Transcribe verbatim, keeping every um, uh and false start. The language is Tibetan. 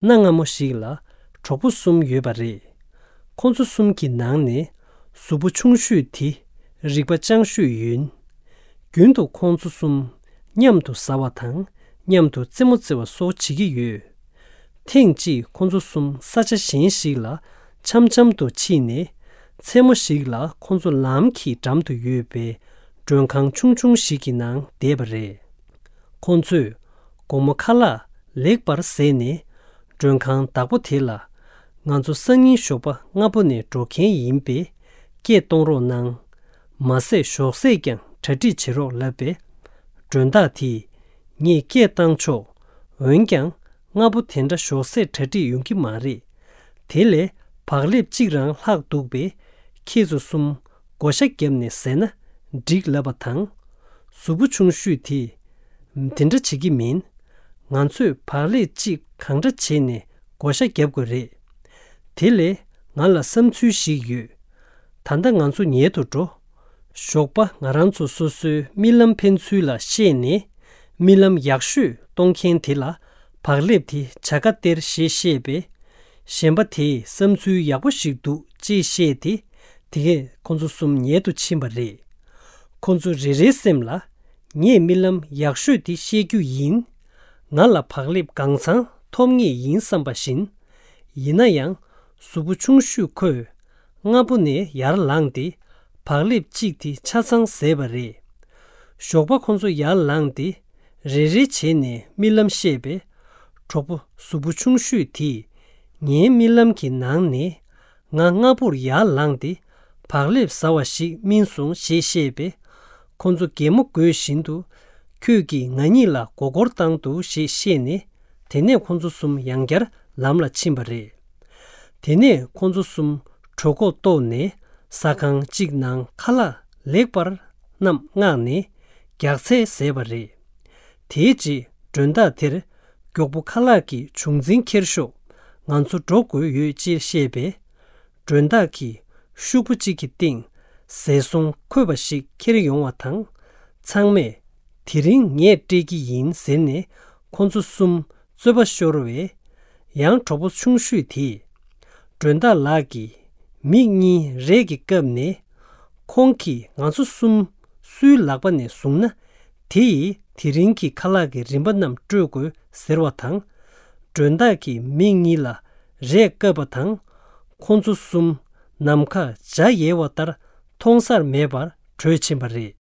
གནའ་སྔ་མོ་ཞིག་ལ་གྲོགས་པོ་གསུམ་ཡོད་པ་རེད། ཁོང་ཚོ་གསུམ་གྱི་ནང་ནས་གཟུགས་པོ་ཆུང་ཤོས་དེ་རིག་པ་སྤྱང་ཤོས་ཡིན། རྒྱུན་དུ་ཁོང་ཚོ་གསུམ་མཉམ་དུ་ཟ་བ་དང་མཉམ་དུ་རྩེད་མོ་རྩེ་བ་སོགས་བྱེད་ཀྱི་ཡོད། ཐེངས་གཅིག་ཁོང་ཚོ་གསུམ་ས་ཆ་གཞན་ཞིག་ལ་འཆམ་འཆམ་དུ་ཕྱིན་ནས། མཚན་མོ་ཞིག་ལ་ཁོང་ཚོ་ལམ་གྱི་འགྲམ་དུ་ཡོད་པའི་མགྲོན་ཁང་ཆུང་ཆུང་ཞིག་གི་ནང་བསྡད་པ་རེད། ཁོང་ཚོས་དགོང་མོ་ཁ་ལག་ལེགས་པར་བཟས་ནས། མགྲོན་ཁང་བདག་པོ་དེ་ལ། ང་ཚོ་སང་ཉིན་ཞོགས་པ་སྔ་པོ་ནས་འགྲོ་མཁན་ཡིན་པས། སྐད་གཏོང་རོགས་གནང་། མ་ཟད་ཞོགས་ཟས་ཀྱང་གྲ་སྒྲིག་བྱེད་རོགས་ལབ་པས། མགྲོན་བདག་དེས། ངས་སྐད་བཏང་ཆོག་འོན་ཀྱང་། སྔ་པོ་དེ་འདྲ་ཞོགས་ཟས་གྲ་སྒྲིག་ཡོང་གི་མ་རེད། དེ་ལས་བག་ལེབ་གཅིག་རང་ལྷག་འདུག་པས། ཁྱེད་ཚོ་གསུམ་བགོ་བཤའ་བརྒྱབ་ནས་ཟས་ན་འགྲིག་ལབ་པ་དང་། གཟུགས་པོ་ཆུང་ཤོས་དེས། དེ་འདྲ་བྱེད་ཀྱི་མིན། ང་ཚོས་བག་ལེབ་གཅིག་གང་འདྲ་བྱས་ནས་བགོ་བཤའ་བརྒྱབ་དགོས་རེད། དེ་ལས་ང་ལ་བསམ་ཚུལ་ཞིག་ཡོད། ད་ལྟ་ང་ཚོ་ཉལ་དུ་འགྲོ། ཞོགས་པ་ང་རང་ཚོ་སོ་སོའི་རྨི་ལམ་འཕེན་ཚུལ་ལ་བཤད་ནས། རྨི་ལམ་ཡག་ཤོས་གཏོང་མཁན་དེ་ལ་བག་ལེབ་དེ་བྱ་དགའ་སྟེར་ཞེས་བཤད་པས། གཞན་པ་དེས་བསམ་ཚུལ་ཡག་པོ་ཞིག་འདུག་ཅེས་བཤད་དེ། དེ་གས་ཁོ་ཚོ་གསུམ་ཉལ་དུ་ཕྱིན་པ་རེད། ཁོ་ཚོ་རེ་རེའི་སེམས་ལ། ངས་རྨི་ལམ་ཡག་ཤོས་དེ་བཤད་རྒྱུ་ཡིན། ང་ལ་བག་ལེབ་གང་ཚང་ཐོབ་ངེས་ཡིན་བསམ་པ་བཞིན། ཡིན་ན་ཡང་། གཟུགས་པོ་ཆུང་ཤོས་ཁོས། སྔ་པོ་ནས་ཡར་ལངས་ཏེ། བག་ལེབ་གཅིག་དེ་ཆ་ཚང་བཟས་པ་རེད། ཞོགས་པ་ཁོ་ཚོ་ཡར་ལངས་ཏེ། རེ་རེ་བྱས་ནས་རྨི་ལམ་བཤད་པས། གྲོགས་པོ་གཟུགས་པོ་ཆུང་ཤོས་དེས། ངའི་རྨི་ལམ་གྱི་ནང་ནས། ང་སྔ་པོར་ཡར་ལངས་ཏེ། བག་ལེབ་ཟ་བ་ཞིག་རྨིས་སོང་ཞེས་བཤད་པས། ཁོ་ཚོ་གད་མོ་དགོད་བཞིན་དུ། ཁྱོད་ཀྱིས་ང་གཉིས་ལ་མགོ་སྐོར་བཏང་འདུག་ཞེས་བཤད་ནས། དེ་ནས་ཁོ་ཚོ་གསུམ་ཡང་བསྐྱར་ལམ་ལ་ཕྱིན་པ་རེད། དེ་ནས་ཁོ་ཚོ་གསུམ་གྲོད་ཁོག་ལྟོགས་ནས། ཟ་ཁང་གཅིག་ནང་ཁ་ལག་ལེགས་པར་རྣམས་མངགས་ནས། རྒྱགས་ཚལ་བཟས་པ་རེད། དེའི་རྗེས་མགྲོན་བདག་དེར། མགྱོགས་པོ་ཁ་ལག་གི་བྱུང་འཛིན་འཁྱེར་ཤོག་ང་ཚོ་འགྲོ་དགོས་ཡོད་ཅེས་བཤད་པས། མགྲོན་བདག་གིས་ཤོག་བུ་གཅིག་གི་སྟེང་ཟས་སོང་འཁོད་པ་ཞིག་འཁྱེར་ཡོང་བ་དང་། ཚང་མས། དེ་རིང་ངས་སྤྲད་ཀྱི་ཡིན་ཟེར་ནས་ཁོ་ཚོ་གསུམ་རྩོད་པ་ཤོར་བས། ཡང་གྲོགས་པོ་ཆུང་ཤོས་དེས། མགྲོན་བདག་ལགས་ཀྱིས་མིག་གཉིས་རས་ཀྱིས་བཀབ་ནས། ཁོང་གིས་ང་ཚོ་གསུམ་སུའི་ལག་པ་ནས་བཟུང་ན། དེ་ཡིས་དེ་རིང་གི་ཁ་ལག་གི་རིན་པ་རྣམས་སྤྲོད་དགོས་ཟེར་བ་དང་། མགྲོན་བདག་གིས་མིག་གཉིས་ལ་རས་བཀབ་པ་དང་། ཁོང་ཚོ་གསུམ་ནམ་མཁར་འཇའ་ཡལ་བ་ལྟར་མཐོང་སར་མེད་པར་བྲོས་ཕྱིན་པ་རེད།